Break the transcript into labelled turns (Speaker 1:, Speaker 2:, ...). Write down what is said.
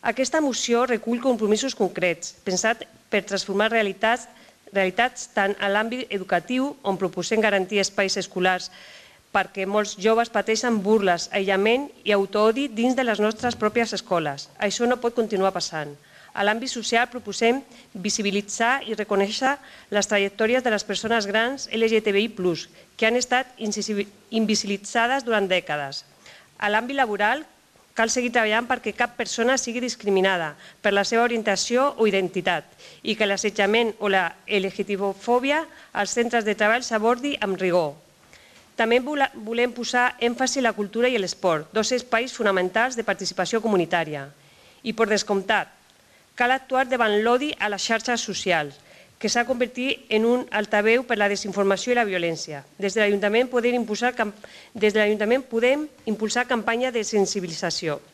Speaker 1: Aquesta moció recull compromisos concrets, pensats per transformar realitats tant en l'àmbit educatiu, on proposem garantir espais escolars perquè molts joves pateixen burles, aïllament i autoodi dins de les nostres pròpies escoles. Això no pot continuar passant. A l'àmbit social proposem visibilitzar i reconèixer les trajectòries de les persones grans LGTBI+, que han estat invisibilitzades durant dècades. A l'àmbit laboral, cal seguir treballant perquè cap persona sigui discriminada per la seva orientació o identitat i que l'assetjament o la LGTBofòbia als centres de treball s'abordi amb rigor. També volem posar èmfasi en la cultura i l'esport, dos espais fonamentals de participació comunitària. I, per descomptat, cal actuar davant l'odi a les xarxes socials, que s'ha convertit en un altaveu per la desinformació i la violència. Des de l'Ajuntament podem impulsar campanya de sensibilització.